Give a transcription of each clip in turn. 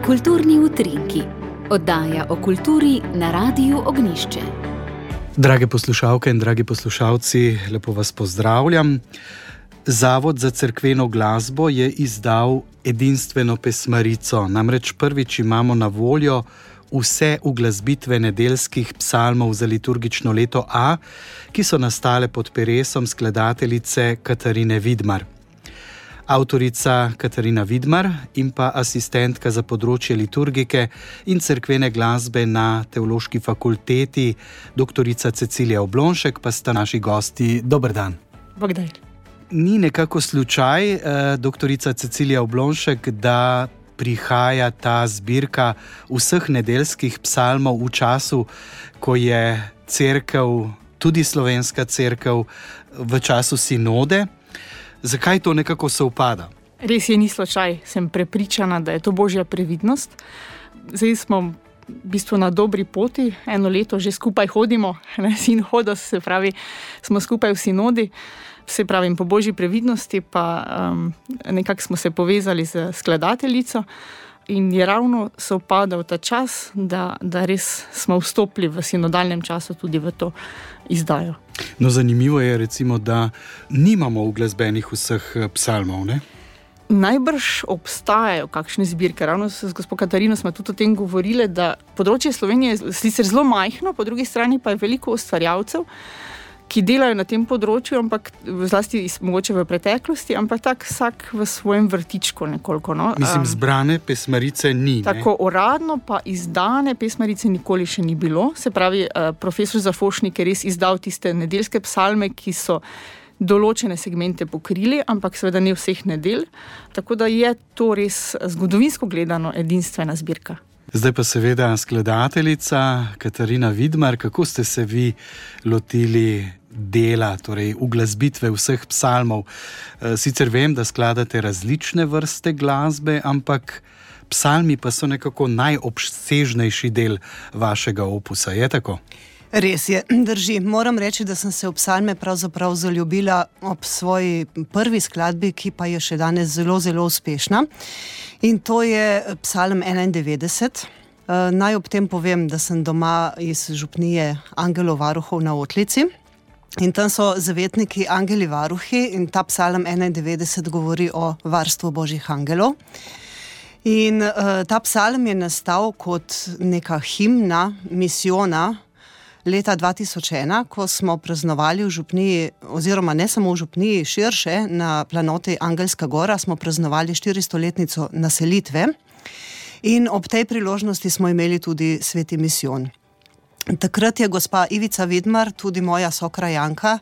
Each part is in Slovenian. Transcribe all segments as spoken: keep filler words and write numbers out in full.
Kulturni utrinki. Oddaja o kulturi na Radiu Ognjišče. Drage poslušalke in dragi poslušalci, lepo vas pozdravljam. Zavod za cerkveno glasbo je izdal edinstveno pesmarico. Namreč prvič imamo na voljo vse uglasbitve nedeljskih psalmov za liturgično leto A, ki so nastale pod peresom skladateljice Katarine Vidmar. Avtorica Katarina Vidmar in pa asistentka za področje liturgike in cerkvene glasbe na Teološki fakulteti, doktorica Cecilija Oblonšek, pa sta naši gosti. Dober dan. Bogdaj. Ni nekako slučaj, eh, doktorica Cecilija Oblonšek, da prihaja ta zbirka vseh nedeljskih psalmov v času, ko je cerkev, tudi slovenska cerkev, v času sinode. Zakaj to nekako sovpada? Res je, ni slučaj. Sem prepričana, da je to božja previdnost. Zdaj smo v bistvu na dobri poti. Eno leto že skupaj hodimo, ne, sin hoda, se pravi, smo skupaj v sinodi. Se pravi, po božji previdnosti pa um, nekako smo se povezali z skladateljico in je ravno sovpadal ta čas, da, da res smo vstopili v sinodalnem času tudi v to izdajo. No, zanimivo je recimo, da nimamo uglasbenih vseh psalmov, ne? Najbrž obstajajo kakšne zbirke. Ravno s gospo Katarino smo tudi o tem govorili, da področje Slovenije je sicer zelo majhno, po drugi strani pa je veliko ustvarjalcev, ki delajo na tem področju, ampak zlasti mogoče v preteklosti, ampak tak vsak v svojem vrtičku nekoliko. No? Mislim, zbrane pesmarice ni. Tako ne? Uradno pa izdane pesmarice nikoli še ni bilo. Se pravi, profesor Zafošnik je res izdal tiste nedeljske psalme, ki so določene segmente pokrili, ampak seveda ne vseh nedelj. Tako da je to res zgodovinsko gledano edinstvena zbirka. Zdaj pa seveda skladateljica Katarina Vidmar, kako ste se vi lotili dela, torej uglasbitve vseh psalmov? Sicer vem, da skladate različne vrste glasbe, ampak psalmi pa so nekako najobsežnejši del vašega opusa, je tako? Res je, drži. Moram reči, da sem se v psalme pravzaprav zaljubila ob svoji prvi skladbi, ki pa je še danes zelo, zelo uspešna. In to je psalm enaindevetdeset. Naj ob tem povem, da sem doma iz župnije Angelov varuhov na Otlici. In tam so zavetniki angeli varuhi in ta psalm enaindevetdeset govori o varstvu božjih angelov. In uh, ta psalm je nastal kot neka himna, misijona, leta dva tisoč ena, ko smo praznovali v župniji, oziroma ne samo v župniji, širše, na planoti Angelska gora, smo praznovali štiristoletnico naselitve in ob tej priložnosti smo imeli tudi sveti misijon. Takrat je gospa Ivica Vidmar, tudi moja sokrajanka,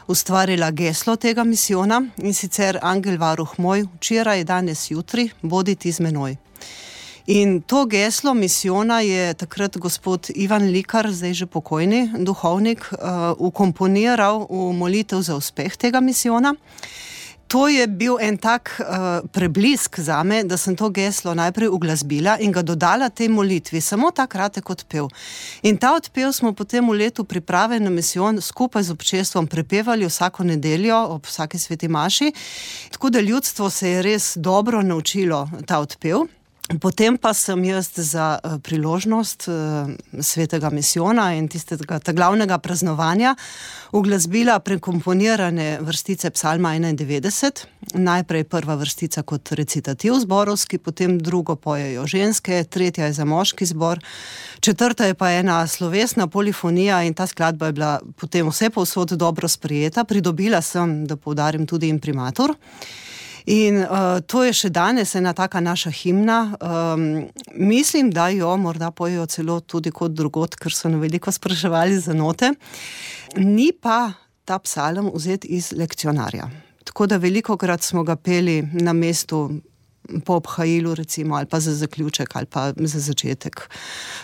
ustvarila geslo tega misijona in sicer angel varuh moj, včeraj, danes, jutri, bodi ti z menoj. In to geslo misijona je takrat gospod Ivan Likar, zdaj že pokojni duhovnik, uh, ukomponiral v molitev za uspeh tega misijona. To je bil en tak uh, preblisk zame, da sem to geslo najprej uglasbila in ga dodala tej molitvi, samo ta kratek odpev. In ta odpev smo potem v letu priprave na misijon skupaj z občestvom prepevali vsako nedeljo ob vsaki sveti maši, tako da ljudstvo se je res dobro naučilo ta odpev. Potem pa sem jaz za uh, priložnost uh, svetega misijona in tistega glavnega praznovanja uglasbila prekomponirane vrstice psalma enaindevetdeset. Najprej prva vrstica kot recitativ zborovski, potem drugo pojejo ženske, tretja je za moški zbor, četrta je pa ena slovesna polifonija in ta skladba je bila potem vse povsod dobro sprejeta. Pridobila sem, da poudarim, tudi imprimatur. In uh, to je še danes ena taka naša himna. Um, mislim, da jo morda pojejo celo tudi kot drugot, ker so na veliko spraševali za note. Ni pa ta psalm vzet iz lekcionarja. Tako da velikokrat smo ga peli na mestu po obhajilu, recimo, ali pa za zaključek, ali pa za začetek.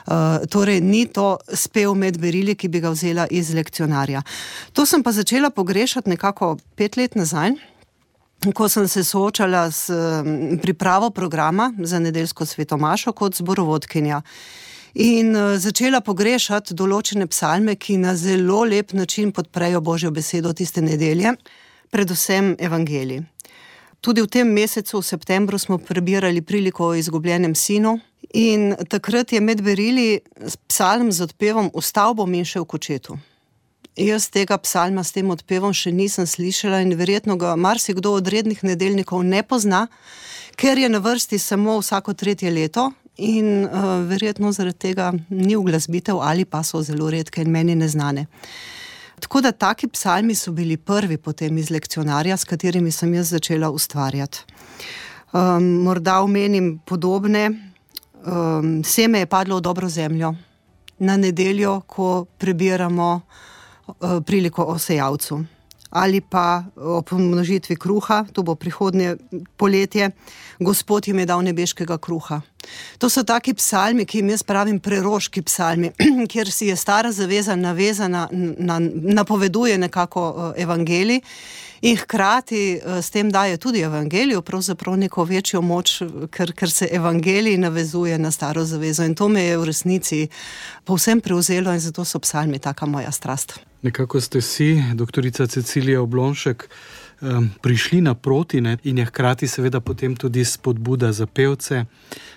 Uh, torej, ni to spev med berili, ki bi ga vzela iz lekcionarja. To sem pa začela pogrešati nekako pet let nazaj, ko sem se soočala s pripravo programa za nedeljsko svetomašo kot zborovodkinja. In začela pogrešati določene psalme, ki na zelo lep način podprejo Božjo besedo tiste nedelje, predvsem evangelij. Tudi v tem mesecu, v septembru, smo prebirali priliko o izgubljenem sinu in takrat je med berili psalm z odpevom Vstal bom in šel k očetu. Jaz tega psalma s tem odpevom še nisem slišala in verjetno ga marsikdo od rednih nedeljnikov ne pozna, ker je na vrsti samo vsako tretje leto in uh, verjetno zaradi tega ni uglasbitev ali pa so zelo redke in meni neznane. Tako da taki psalmi so bili prvi potem iz lekcionarja, s katerimi sem jaz začela ustvarjati. Um, morda omenim podobne. Um, seme je padlo v dobro zemljo. Na nedeljo, ko prebiramo uh, priliko o sejalcu. Ali pa o pomnožitvi kruha, to bo prihodnje poletje, Gospod jim je dal nebeškega kruha. To so taki psalmi, ki jim jaz pravim preroški psalmi, kjer si je stara zaveza navezana, na, napoveduje nekako evangelij in hkrati s tem daje tudi evangeliju pravzaprav neko večjo moč, ker, ker se evangelij navezuje na staro zavezo in to me je v resnici povsem prevzelo in zato so psalmi taka moja strast. Nekako ste si, doktorica Cecilija Oblonšek, prišli naproti, ne, in je hkrati seveda potem tudi spodbuda za pevce,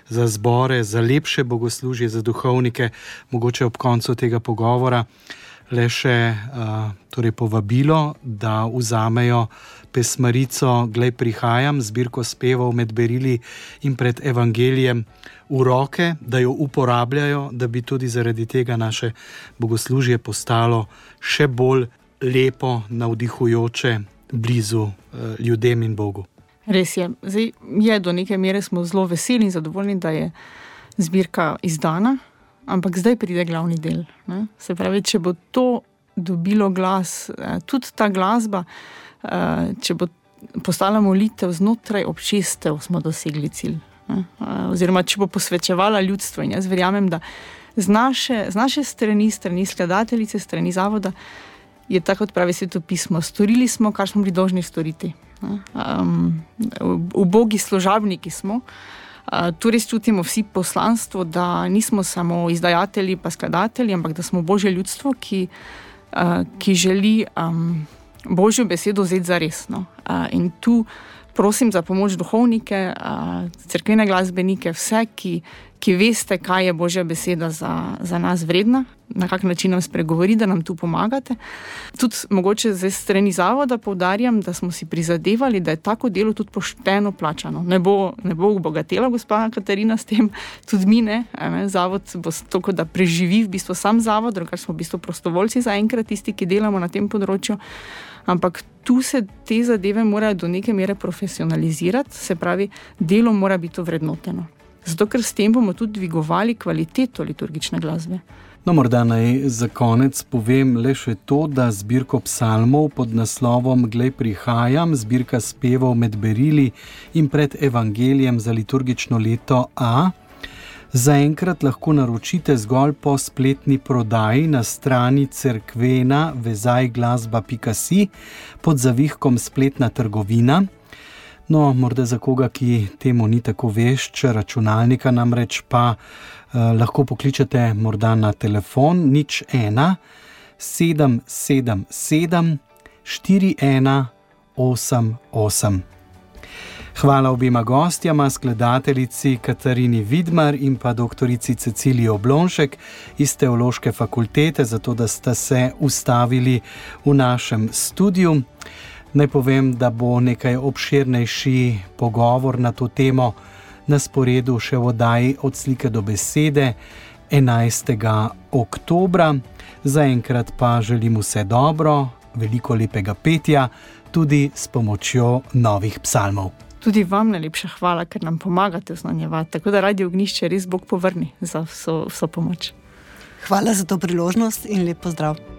za zbore, za lepše bogoslužje, za duhovnike, mogoče ob koncu tega pogovora le še uh, torej povabilo, da vzamejo pesmarico Glej prihajam, zbirko spevov med berili in pred evangelijem v roke, da jo uporabljajo, da bi tudi zaradi tega naše bogoslužje postalo še bolj lepo, navdihujoče, blizu uh, ljudem in Bogu. Res je. Zdaj je do neke mere smo zelo veseli in zadovoljni, da je zbirka izdana, ampak zdaj pride glavni del. Ne? Se pravi, če bo to dobilo glas, tudi ta glasba, če bo postala molitev znotraj občestev, smo dosegli cilj. Ne? Oziroma, če bo posvečevala ljudstvo. In jaz verjamem, da z naše, z naše strani, strani skladateljice, strani zavoda, je tako, kot pravi Sveto pismo. Storili smo, kar smo bili dolžni storiti. Um, ubogi služabniki smo. Uh, tu res čutimo vsi poslanstvo, da nismo samo izdajatelji pa skladatelji, ampak da smo Božje ljudstvo, ki, uh, ki želi um, Božjo besedo vzeti za resno. Uh, in tu prosim za pomoč duhovnike, uh, cerkvene glasbenike, vse, ki, ki veste, kaj je Božja beseda za, za nas vredna, na kak način nam spregovori, da nam tu pomagate. Tudi mogoče z strani zavoda poudarjam, da smo si prizadevali, da je tako delo tudi pošteno plačano. Ne bo, ne bo obogatela gospa Katarina s tem, tudi mi ne. ne. Zavod bo toliko, da preživi v bistvu sam zavod, drugače smo v bistvu prostovoljci zaenkrat tisti, ki delamo na tem področju. Ampak tu se te zadeve morajo do neke mere profesionalizirati, se pravi, delo mora biti vrednoteno. Zato, ker s tem bomo tudi dvigovali kvaliteto liturgične glasbe. No, morda naj za konec povem le še to, da zbirko psalmov pod naslovom Glej prihajam, zbirka spevov med berili in pred evangelijem za liturgično leto A, zaenkrat lahko naročite zgolj po spletni prodaji na strani cerkvena vezaj glasba pika si pod zavihkom spletna trgovina. No, morda za koga, ki temu ni tako vešč, računalnika namreč pa eh, lahko pokličete morda na telefon nič ena sedem sedem sedem štiri ena osem osem. Hvala obima gostjama, skladateljici Katarini Vidmar in pa doktorici Ceciliji Oblonšek iz Teološke fakultete, zato da sta se ustavili v našem studiu. Naj povem, da bo nekaj obširnejši pogovor na to temo na sporedu še v oddaji Od slike do besede enajstega oktobra. Zaenkrat pa želim vse dobro, veliko lepega petja, tudi s pomočjo novih psalmov. Tudi vam najlepša hvala, ker nam pomagate oznanjevati, tako da Radio Ognjišče res Bog povrni za vso, vso pomoč. Hvala za to priložnost in lep pozdrav.